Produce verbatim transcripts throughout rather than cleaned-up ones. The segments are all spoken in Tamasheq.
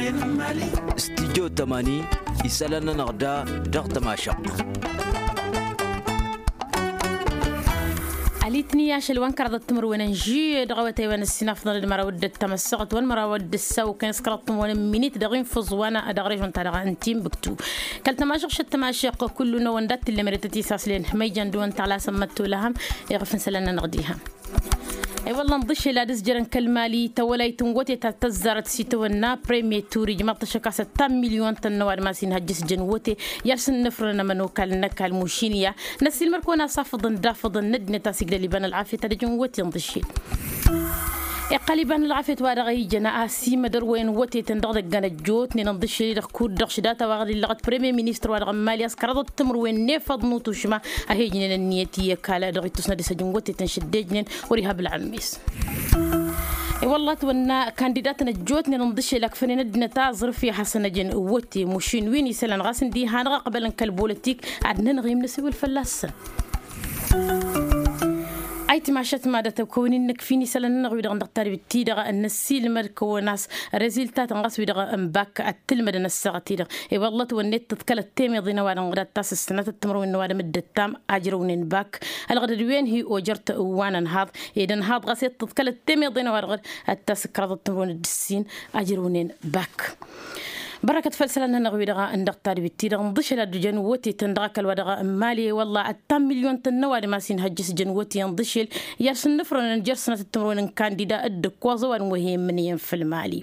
Studyo tămani isălan-nănăɣ da dăɣ-tămašăɣt. Alitni ašăl wa n-kăraḍăt timǝrwen n-žuye dăɣ-awătay wa n-ăssinafḍăn d-măraw d-ăttămăssăɣăt wa n-măraw d-ăssaw kăy-s kăraḍăt timǝrwen n-minit dăɣ-infǝẓ wa n-dăɣ režon-ta-dăɣ n-timbuktu. Kăl-tămašăɣ šăt tămašăɣ kullu-năwăn dat-tǝllem ere tăt-isaslen ma ijăn dăɣ-wăn tăɣlasăn măttolăhăm. Iɣăf n-isălan-nănăɣ diha. I-wălla n-ḍǝšel ad-ǝzjărăn kăl-mali tawălayt n-wătetăn tăzzarăt s-itawănna premier tur ijmaḍ-t ašăk a-s ăttan milyon-tăn n-ăwadǝm a-s inhăjjăs jăn wăte i-ad-sǝnnǝfrănăn ămănokal n-ăkall mušin i-a năssiilmăr-kăwăn-asafăḍăn d-afăḍăn n-ăddinăt a-s igdăl iba n-ălɣafyăt ad-ăjăn wăte n-ḍǝšel. Iqqăl iba n-ălɣafyăt wa dăɣ-ijăn a-s imădărwăyăn wătetăn dăɣ-idăggăn ăjjootnen n-ḍǝšel-i-dăɣ kud-dăɣ šidata wa dăɣ-illăɣăt premier ministăr wa dăɣ-n mali a-s kăraḍăt timǝrwen n-efăḍ n-utušma a he-ǝjnen ǝnniyăt i-ăkall dăɣ-ittusna d-isăj n-wătetăn šăddejnen. Wăr-iha bǝlɣǝmmes. I-wălla ătwănna kandidatăn ăjjootnen n-iḍǝšel ăkfănen ăddinăt aẓrǝf i-ad-hasăn-ăjăn wăte mušin wi n-isălan ɣas ǝndiha-năɣ ăqbălăn kăl-bolotik ad-nănɣimnăs i-wăl fălla-săn. Ayǝtmašăt madăt ăkk kăwăn-in-nǝkf i-nisălan-nănăɣ wi-dăɣ n-dăɣ-tadbit-ti-dăɣ n-năssiilmăd kăwăn-as reziltatăn ɣas wi-dăɣ n-bak ăttǝlmădăn ăssaɣăt-i-dăɣ. I-wălla ătwănnet tǝḍkălăt temăḍe n-ăwadǝm ɣǝdat ta s-ǝssănatăt timǝrwen n-ăwadǝm dd-ăttam ajrăwnen bak. Ălɣădăd-wen hi-ojăr-t wa n-ănhaḍ ed ănhaḍ ɣas i-tǝḍkălăt temăḍe n-ăwadǝm ɣǝd ad-t-asǝkrăḍăt timǝrwen d-ǝssin ajrăwnen bak. Bărăkăt făll-isălan-nănăɣ wi-dăɣ n-dăɣ-tadbit-ti-dăɣ n-iḍǝšel ad-ǝjăn wătetăn dăɣ-ăkall wa dăɣ-n mali i-wălla ăttan milyon-tăn n-ăwadǝm a-s inhăjjăs jăn wăte n-iḍǝšel i-ad-sǝnnǝfrănăn jer-sănatăt timǝrwen n-kandida dd-ǝkkoẓ ăwadǝm wa he-immǝnǝyăn făll-mali.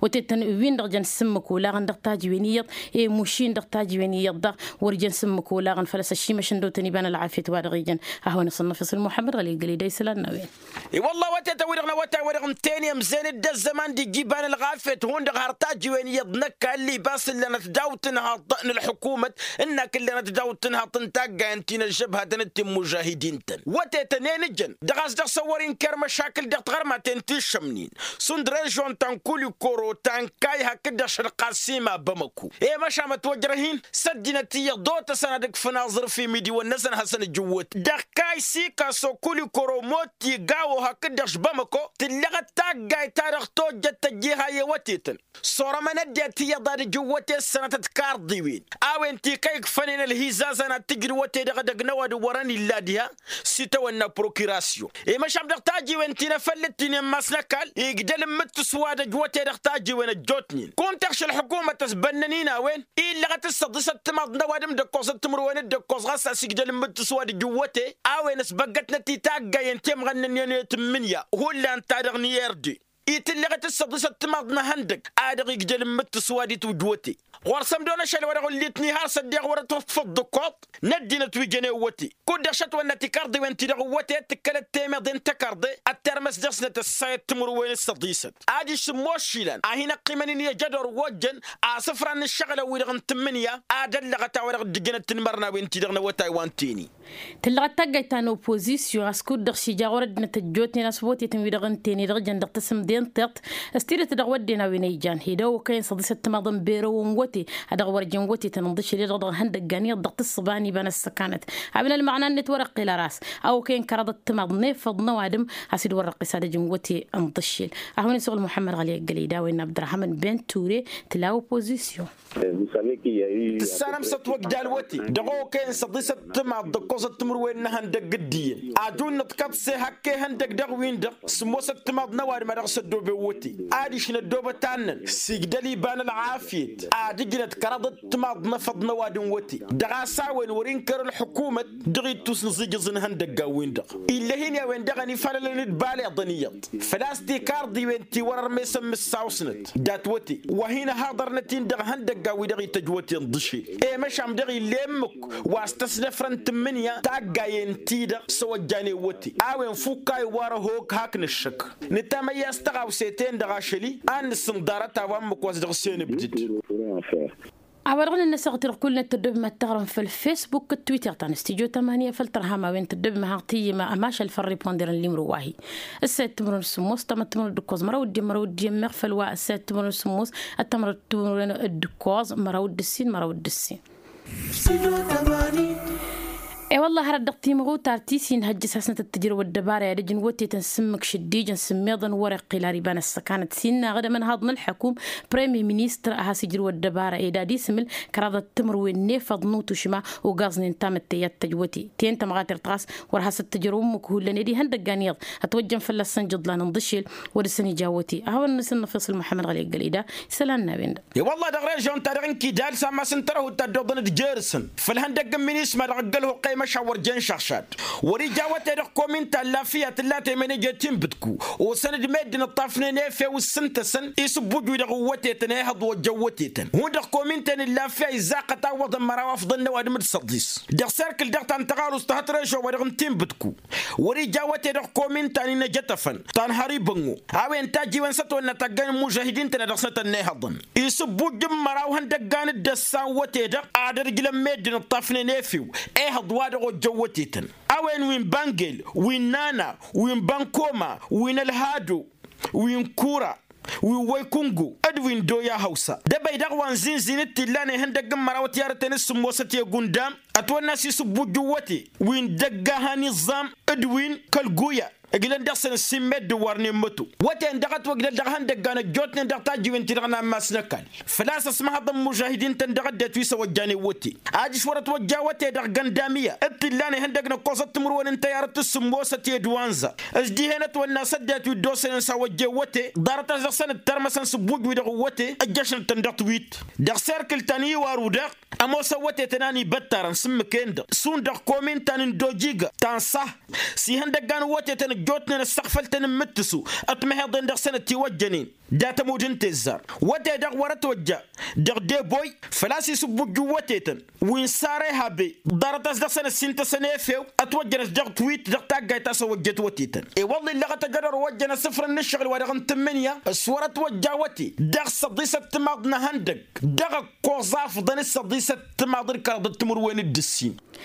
Wătetăn wi n-dăɣ jăn s-ǝmmǝk olaɣăn dăɣ-tajǝwen iyyăḍ i-mušin dăɣ-tajǝwen iyyăḍ-dăɣ wăr jăn s-ǝmmǝk olaɣăn făl-a-s ăšimăšăn dăw-tăn iba n-ălɣafyăt wa dăɣ-ijăn. Ad-hawăn-asănnăfăs ălmuḥămmăd ɣăli ǝggălăy da isălan n-a-wen. I-wălla wătetăn-wi-dăɣ n-awătay-wa-dăɣ n-teni ămzen d-ăzzăman d-ija iba n-ălɣafyăt hundăɣ har tajǝwen iyyăḍ n-ăkall ibas ǝllanăt daw-tǝnhaḍt n-ălḥukumăt ǝnn'-ak ǝllanăt daw-tǝnhaḍt n-taggayăn ti n-ăžžăbhatăn d-timmužahidin-tăn wătetăn enǝjăn dăɣ-a-s dăɣ-săn wăr-inker măšakǝl dăɣ-tiɣărmaten ti ǝššămnen šund režon ta n-kulikoro ta n-kay hakd-dăɣ šălqasima bamăko i-măšan ătwăjrăh-in s-ăddinăt iyyăḍ d-otăsăn ad-ǝkfǝn aẓrǝf imidiwăn-năsăn ad-hasăn-ǝjǝwwăt dăɣ-kay sikaso kulikoro moti gawo hakd-dăɣ š-bamăko tǝllăɣăt taggayt-ta-dăɣ tojjăt tăjjiha i-wătetăn s-orămăn ăddinăt iyyăḍ ad-ǝjǝwwăt i-ăssănătăt karḍiwen a-wen ti kăy-ǝkfănen ălhizazan ad-tǝjǝd wăte dăɣ-edăgg n-ăwadǝm wărăn illa diha. S-itawănna prokiratyon i-măšan dăɣ-tajiwen ti n-efăllăt ti n-emmas n-ăkall igdăl n-imǝttǝs wa d-ăjwăte dăɣ-tajiwen ăjjootnen kunta ăɣš ălḥukumăt ăsbănnăn-in a-wen illăɣăt s-săḍisăt timaḍ n-ăwadǝm d-ǝkkoẓăt timǝrwen d-ǝkkoẓ ɣas a-s igdăl n-imǝttǝs wa d-ǝjǝwwăte a-wen ăsbăggătnăt i-taggayen temɣănnănen i-tǝmmǝnǝya hullan-ta-dăɣ n-i-erde itǝllăɣăt s-săḍisăt timaḍ n-ehăndăg a dăɣ-igdăl n-imǝttǝs wa d-itwǝjwăte ɣur-săn dăɣ-năšăl wa dăɣ-ǝllitni har s-ăddiɣ wăr-ătwăḍfăḍ d-ǝkkoḍ n-ăddinăt wi jăn i-wăte kud-dăɣ šătwănnăt ikarḍiwen-ti-dăɣ n-wăte tǝkkălăt temeḍe n-tăkarḍe ăttărmăs dăɣ-snăt ăssayăt timǝrwen s-săḍisăt adiš sǝmmos išilan a hin-ăqqimăn-in i-ajădor wa ojjăn asǝfran n-ǝššăɣǝlăn-wi-dăɣ n-tǝmmǝnǝya ad-ăllăɣăt a-wa dăɣ-dd-ǝjǝnăt-in mărnawen-ti-dăɣ n-awătay wa n-teni. Tǝllăɣăt taggayt ta n-opozisyon a-s kud-dăɣ s-ija ɣur-ăddinăt ăjjootnen a-s wătetăn-wi-dăɣ n-teni dăɣ-jăn dăɣ-tasǝmde n-tiṭṭ s-tidǝt dăɣ-wădden a-wen a ijan hed a-okăyăn săḍisăt timaḍ n-berăw n-wăte a dăɣ-wăr jăn wătetăn ǝnḍǝšel i-dăɣ dăɣ-ihăndăggan iyyăḍ dăɣ-tǝssǝba n-iba n-ăssăkanăt. Awen ălmăɣna-net wăr-ăqqel ăras a okăyăn kăraḍăt timaḍ n-efăḍ n-ăwadǝm a-s dd-wăr-răqqes ad-ăj n-wăte ǝnḍǝšel. Ad-hawăn-isuɣǝl muḥămmăd ɣăli ăggălăy d-a-wen n-abdărahăm n-ben ture tǝla opozisyon. Tǝssanăm s-ătwăgdal wăte dăɣ-okăyăn săḍisăt timaḍ d-ǝkkoẓăt timǝrwen n-ehăndăgg d-iyyăn ajun nǝḍkăḍse hak ehăndăgg dăɣ-win-dăɣ sǝmmosăt timaḍ n-ăwadǝm a dăɣ-s ăddoben wăte adiš n-ăddobăt annăn s-igdăl iba n-ălɣafyăt ad-ǝjnăt kăraḍăt timaḍ n-efăḍ n-ăwadǝm wăte dăɣ-a-s a-wen wăr-inkăr ălḥukumăt dăɣ-ittus n-iẓijǝẓ n-ihăndăgg a-wen-dăɣ. Ill'-e-hin i-a-wen-dăɣ ănifalălăn-dd baleḍăn iyyăḍ făl-a-s tikarḍiwen ti wăr-ărmesăn mǝssawsnăt dat-wăte wa hin-ăhaḍărnăt-in dăɣ-ihăndăggan-wi-dăɣ ităjj wăte n-iḍǝšel i-măšan dăɣ-ille ǝmmǝk wa s-tăsnăfrăn tǝmmǝnǝya taggayen-ti-dăɣ s-ăwăjjanen wăte a-wen fukk a iwar ăhok hak nǝššăk. Nǝtamăyya s-tăɣawse-ten-dăɣ ašăl-i ad-nǝsǝnḍarăt a-wa ǝmmǝk wa s-dăɣ-sen ǝbdǝd. A-wa-dăɣ nǝnnăsăɣ-t-dăɣ kull-net tăddobem ad-taɣrǝm făll-fesbuk d-twitter ta n-studyo tămanya făll-tărham a-wen tăddobem ad-hanăɣ-tǝyyǝm ămašal făll-riponder n-limro wa-hi. Ǝssayăt timǝrwen d-sǝmmos ăttămăr timǝrwen d-ǝkkoẓ măraw d-iyyăn măraw d-iyyăn meɣ făll-wa ǝssayăt timǝrwen d-sǝmmos ăttămăr timǝrwen d-ǝkkoẓ măraw d-ǝssin măraw d-ǝssin. I-wălla hărăt dăɣ-timɣutar ti s-inhăjjăs hasnăt d-tǝjrăw ăddăbara i-ad-ǝjǝn wătetăn s-ǝmmǝk šăddijăn s-ǝmmiḍăn wăr-iqqil ar iba n-ăssăkanăt s-innă aɣǝdăm ănhaḍ n-ălḥăkum. Premier ministăr a has-ijrǝw ăddăbara ed ad-isǝmǝl kăraḍăt timǝrwen n-efăḍ n-utušma ugaẓnen tamǝtte i-ad-tăjwăte. Ten tămɣater ɣas wăr has-ăttǝjrăw ǝmmǝk hullan ed ihăndăggan iyyăḍ ătwăjjăn fălla-săn jǝḍlan n-iḍǝšel wăr dăr-săn ija wăte. A hawăn-nǝsǝnnăf iṣǝl muḥămmăd ɣăli ăggăleda isălan n-a-wen-dăɣ. I-wălla dăɣ-režion-ta-dăɣ n-kidal s-ammas n-tărăhut ta dd-oḍăn d-jer-săn făll-ihăndăgg n-minisma dăɣ-ăggălhu ăqqăy măšan wăr jen šăɣšad. Wăr-ija wăte-dăɣ komin ta n-lafǝya tǝlla temenăj i-tinbǝtku osăn-dd meddǝn ǝṭṭafnen efew s-ǝntăsăn isǝbbuj-wi-dăɣ n-wătetăn ehăḍ ojjăn wătetăn hundăɣ komin-ten n-lafǝya izzaqăt a ǝwwăḍăn măraw afḍăn n-ăwadǝm d-săḍis. Dăɣ-serkǝl dăɣ-ta n-tăɣalust ta hăt režo-wa-dăɣ n-tinbǝtku wăr-ija wăte-dăɣ komin ta n-inăjătăfăn ta n-hăribănnu a-wen tajjiwen s-ătwănna taggayn n-imužahidin-tăn a dăɣ-snăt ănnihăḍăn isǝbbuj n-măraw ihăndăggan d-ăssan wăte-dăɣ ad-ărjlăn meddǝn ǝṭṭafnen efew ehăḍ wa dăɣ-ojjăn wătetăn a-wen wi n-bangel wi n-nana wi n-bankoma wi n-ălhado wi n-kura wi n-wăykungu d-wi n-doya hăwsa d-ebăy dăɣ-wa n-zinzin d-t-illan ihăndăgg n-măraw ătiyarăten s-sǝmmosăt i-agundam ătwănna s-isǝbbuj n-wăte wi n-dăgg-aha n-iẓẓam d-wi n-kăl-guya ǝjlăn dăɣ-săn ǝssin meddǝn wărnen măto wăten dăɣ-ătwăjlăl dăɣ-ihăndăggan ăjjootnen dăɣ-tajjiwen-ti-dăɣ n-ammas n-ăkall. Făl-a-s ăsmăhăḍăn imužahidin-tăn dăɣ-ăddinăt wi s-ăwăjjanen wăte ajǝš wăr-ătwăjja wăte dăɣ-găndamiya d-t-illa n-ihăndăg n-ǝkkoẓăt timǝrwen n-tăyarăt s-sǝmmosăt i-ădduwa n-za. S-dihen ătwănna s-ăddinăt wi dd-osănen s-a ăwăjjen wăte ḍarăt a-s dăɣ-săn ǝttărmăsăn s-ǝbbuj-wi-dăɣ n-wăte ǝjjăšăn-tăn dăɣ-tiwit dăɣ-serkǝl ta n-iwaru-dăɣ. Ămoosăn wătetăn a n-ibăttarăn s-ǝmmǝk-en-dăɣ šund dăɣ-komin ta n-ǝndojigă ta n-saha s-ihăndăggan n-wătetăn ăjjootnen ăssăɣfăl-tăn n-imǝttǝsu ătmăheḍen dăɣ-săn ătiwăjjănen dat-ămudd n-tezzar. Wăte-dăɣ wăr-ătwăjja dăɣ-deboy făl-a-s isǝbbuj n-wătetăn wi n-sare habe ḍarăt a-s dăɣ-săn ăssintăsăn efew ătwăjjănăt dăɣ-twit dăɣ-taggayt ta s-ăwăjjet wătetăn. I-wălla illăɣăt ăjădor ăwăjjăn asǝfrăn n-ǝššăɣǝl wa-dăɣ n-tǝmmǝnǝya s-wăr-ătwăjja wăte dăɣ-săḍisăt timaḍ n-ehăndăg dăɣ-ăkkoẓ afḍăn d-săḍisăt timaḍ d-kăraḍăt timǝrwen d-ǝssin.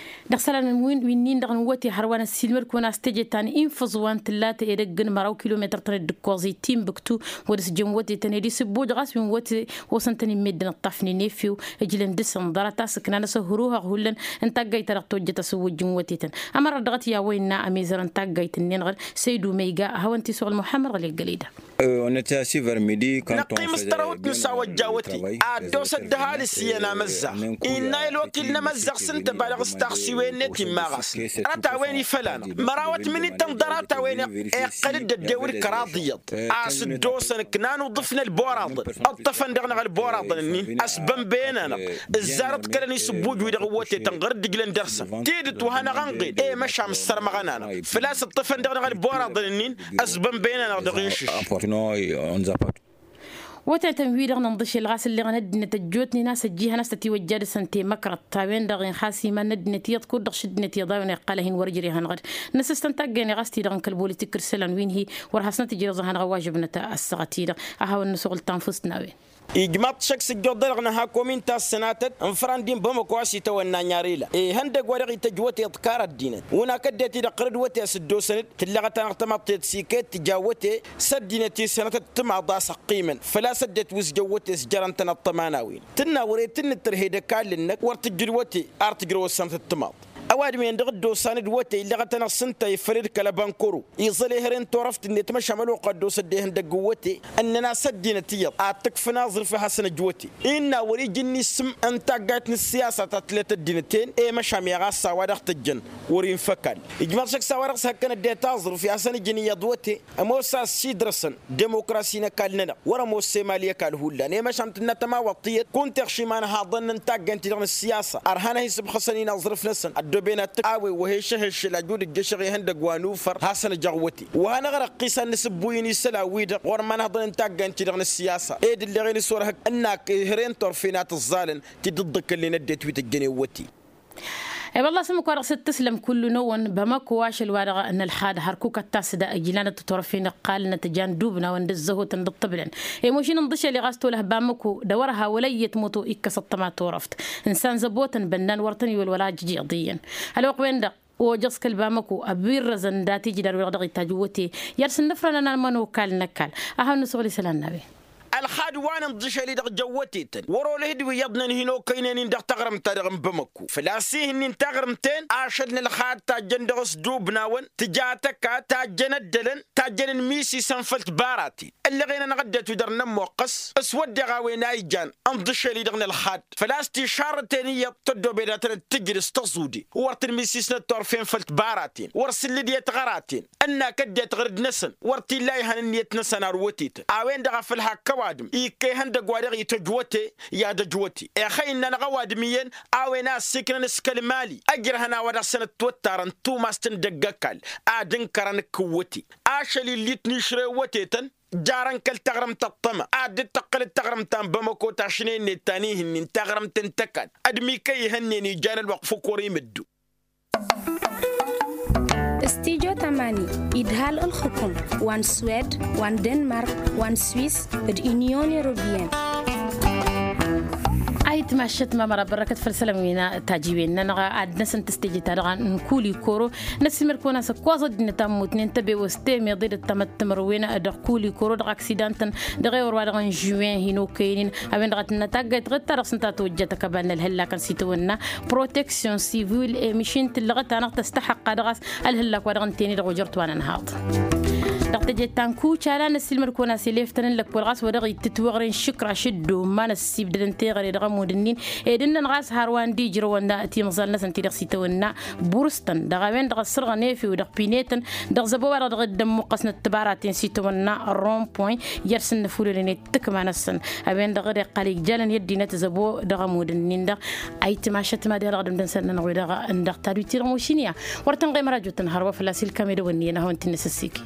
Dăɣ-isălan wi-nin-dăɣ n-wăte hărwa n-ăssiilmăd-kăwăn a-s teje ta n-infǝẓwa n-tǝllat edăgg n-măraw kilometăr-tăn dd-ǝkkoẓ i-timbǝktu wăr-ǝsjăn wătetăn ed isǝbbuj ɣas wi n-wăte osăn-tăn-in meddǝn ǝṭṭafnen efew ǝjlăn dăɣ-săn ḍarăt a-s ǝknan asăhruhăɣ hullan n-taggayt ta dăɣ-tojjăt asǝwwǝjj n-wătetăn. Ămărăt dăɣ-t i-a-wa innă ămizăr n-taggayt-ǝnnin-dăɣ săydu măyga ad-hawăn-t-isuɣǝl muḥămmăd ɣăli ăggăleda. Năqqim s-tărăwt n-sawăjja wăte ad-dd-osăt d-ăhalǝs iyyăn amăzzaɣ. Innă i-ălwăkil n-amăzzaɣ s-ǝnta ăba dăɣ-s taɣsiwen-net immaɣasnăt ărăt a-wen ifăl-anăɣ măraw ătmǝnit n-ḍarăt a-wen iqqăl-dd ăddewăd kăraḍ iyyăḍ a-s dd-osăn ǝknan uḍǝf n-ălboraḍăn ǝṭṭăfăn dăɣ-năɣ ălboraḍăn-ǝnnin ăsbănbăyăn-anăɣ. Ǝzzarăt kălăn isǝbbuj-wi-dăɣ n-wătetăn ɣur-dd ǝjlăn dăr-săn tidǝt wa hanăɣ-ănɣed i-măšan sărmăɣăn-anăɣ făl-a-s ǝṭṭăfăn dăɣ-năɣ ălboraḍăn-ǝnnin. Ăsbănbăyăn-anăɣ dăɣ-inšǝš. Wătetăn-wi-dăɣ n-inḍǝšel ɣas ǝlleɣăn ăddinăt ăjjootnen a-s ăjjihăn a-s tătiwăjja dăɣ-săn temăkrăḍt a-wen-dăɣ inxas iman n-ăddinăt iyyăḍ kud-dăɣ šăddinăt iyyăḍ a-wen iqqăl a hin-wăr-ǝjrehăn ɣǝd. Năsǝstăn taggăyne ɣas ti-dăɣ n-kăl-bolitik d-isălan wi n-hi wăr hasnăt ǝjrăẓ a hanăɣ-ăwwažăbnăt ăssaɣăt-i-dăɣ. A hawăn-nǝsuɣǝl tanfust n-a-wen. Ijmaḍ-t šăkk s-ǝjjuḍ-dăɣ nǝha komin ta s-sănatăt n-făran d-inbamăko a-s itawănna n-yarila ihăndăg wa dăɣ-ităjj wăte iḍkar ăddinăt wǝnnak ăddinăt-i-dăɣ ɣur-dd wăte a-s dd-osăn-dd tǝllăɣăt-anăɣ tamaḍt tiyyăt s-iket tǝja wăte s-ăddinăt-i sănatăt timaḍ a-s ăqqimăn făl-a-s ăddinăt wi s-jăn wăte s-jărăn-tăn ăṭṭăma n-a-wen tǝnna wăr-e tǝnnǝttărhed ăkall-năk wăr tǝjjǝd wăte ar tǝjrăwăt sănatăt timaḍ. Ăwadǝm-en-dăɣ dd-osan d-wăte illăɣăt-anăɣ s-ǝnta ifăl d-kăl-ăbankăro iẓăl ehăre n-turăft-net măšan ălwăqq a dd-osăd ehăndăgg n-wăte ǝnnăn a-s ăddinăt iyyăḍ ad-t-ǝkfǝn aẓrǝf i-hasăn-ăj wăte. Innă wăr-iji ǝnni s-ǝmm n-taggayt n-ǝssiyasa ta tǝlăt ăddinăt-en i-măšan meɣ a-s a-wa dăɣ-tăjjăn wăr-infa ăkall. Ijmăḍ šăkk s-a-wa dăɣ-s hăkkăn ăddinăt aẓrǝf i-hasăn-ǝjǝn iyyăḍ wăte ămoos a-s sidrăsăn demokrasi n-ăkall-nănăɣ wăr-ămoos emali ăkall hullan i-măšan tǝnna tămawăḍt tiyyăt kunta iɣšim anhaḍăn n-taggayt-ti-dăɣ n-ǝssiyasa ărhan ad-hin-sǝbxăsăn-in aẓrǝf-năsăn ăddooben ad-t-awǝy wa he-išăhhăššăl ajud ǝjjăšăɣ ihăndăgg wa nufăr hasăn-ăjăɣ wăte. Wa hanăɣ-răqqisăn nǝsǝbbuy-in isălan-wi-dăɣ ɣur-imanhăḍăn n-taggayt-ti-dăɣ n-ǝssiyasa ed ǝlleɣ-in s-wăr hăkk ǝnnak ehăre n-turfen a tǝẓẓalăn ti dd-ǝḍḍǝkkălnen ăddinăt wi tǝjjănen wăte. E-wălla-s ǝmmǝk wa dăɣ-s dd-tǝslăm kullu-năwăn bamăko ašăl-wa-dăɣ n-ălxad hărkuk ăttas da ǝjlanăt turăfen ǝqqalnăt jan dubnawăn d-ǝzzăhotăn d-ǝṭṭǝblăn. I-mušin ǝnḍǝšel i-ɣas tolăh bamăko d-a wăr-ha wăla iyyăt moto ikkăs ăṭṭăma turăft. Ǝnsan zăbotăn bănnan wăr tăn-iwăl wăla ajǝj iḍiyyăn. Ălwăqq-wen-dăɣ ojăẓ kăl-bamăko ăbirrăzăn dat-ijdan-wi-dăɣ dăɣ-itajj wăte. I-ad-sǝnnǝfrăn anănăɣ mănokal n-ăkall. A hawăn-nǝsuɣǝl isălan n-a-wen. ad-wa n-inḍǝšel-i-dăɣ jăwwătetăn wăr-olăh d-wi iyyăḍnen hin-okăynen-in dăɣ-taɣrǝmt-ta-dăɣ n-bamăkko făl-a-s ih'-ǝnnin taɣrǝmt-ten ašăl n-ălxad tajjăn dăɣ-s dubnawăn tǝja tăka tajjăn ăddălăn tajjăn n-imisisăn făll-tibaraten. Ǝllăɣen-anăɣ ăddinăt wi dăr-nămmoqqăs s-wădden a-wen a ijan ǝnḍǝšel-i-dăɣ n-ălxad făl-a-s tišarrăten iyyăḍ tăddoben ad-tănăt-tǝjǝd s-tăẓude wăr tăn-misisnăt turfen făll-tibaraten wăr sǝllǝd i-tiɣăraten ǝnn'-ak ăddinăt ɣǝrǝd-năsăn wăr t-illa ihăn ǝnniyăt-năsăn ar wătetăn. A-wen-dăɣ a făl hakk ăwadǝm ikka ihăndăgg wa dăɣ-ităjwăte i-ad-ăjwăte ixăy ǝnn'-anăɣ ăwadǝm iyyăn a-wen a ăssiiknăn s-kăl-mali ăjrăhăn a-wa dăɣ-săn ătwăttarăn tumas-tăn dăgg-ăkall ad-ǝnkărăn ǝkkǝwwăte ašăl illit n-išrewwătetăn jarăn kăl-taɣrǝmt ăṭṭăma ad-dd-tăqqǝlăt taɣrǝmt ta n-bamăko tašnen-net ta n-ihǝnnin taɣrǝmt n-tăkall ădmi kăy-ihănnen ijan ălwăqq făk wăr-imǝddu. Studyo tamani idhal ǝlxǝkum wa n-swed wa n-denmark wa n-swis d-inyon europiyăn. Ayǝtmašăt mamăra bărrăkăt făll-isălan wi n-tajiwen-nănăɣ ad-dăr-năsăn tǝstejăt-ta-dăɣ n-kuli koro năssiilmăd-kăwăn-as ǝkkoẓ ăddinăt a ǝmmutnen tăbewăst temeḍe d-ăttămăt timǝrwen dăɣ-kuli koro dăɣ-aksidantăn dăɣ-ewăr wa dăɣ-n žuwen hin-okăyăn-in. A-wen-dăɣ a tǝnnăt taggayt ɣǝd-ta-dăɣ s-ǝnta a tăwăjja tăkăba n-ălhăllakăn s-itawănna proteksyon sivil emišin tǝllăɣăt-anăɣ tăstăḥăqqa dăɣ-a-s ălhăllak wa dăɣ-ǝnta-en-i-dăɣ ojăr-t wa n-ănhaḍ. Dăɣ-teje ta n-kucala năssiilmăd-kăwăn-as elef-tăn n-lăkkol ɣas wa dăɣ-ittǝt weɣren šǝkraš d-umman ăssibdădăn teɣăre dăɣ-ămudd-ǝnnin ed ǝnnăn ɣas har wa n-dd-ijrăwăn timẓal-năsăn ti-dăɣ s-itawănna burǝs-tăn dăɣ-a-wen-dăɣ ăssărɣăn efew dăɣ-pinetăn dăɣ-zăbo-wa-dăɣ dăɣ-dd-ămmuqqăsnăt tibaraten s-itawănna ronpoin jer-sǝnnăfulălen i-tǝkma-năsăn. A-wen-dăɣ dd-iqqal ijjalăn i-ăddinăt zăbo dăɣ-ămudd-ǝnnin-dăɣ. Ayǝtmašăt mad-i-dăɣ dămdăn sănnănăɣ-wi-dăɣ n-dăɣ tadwit-i-dăɣ mošin i-a wăr tăn-ɣemăr ajot tăn-hărwa fălla-s ilkam edăwănni-en ad-hawăn-t-in-năsăsseke.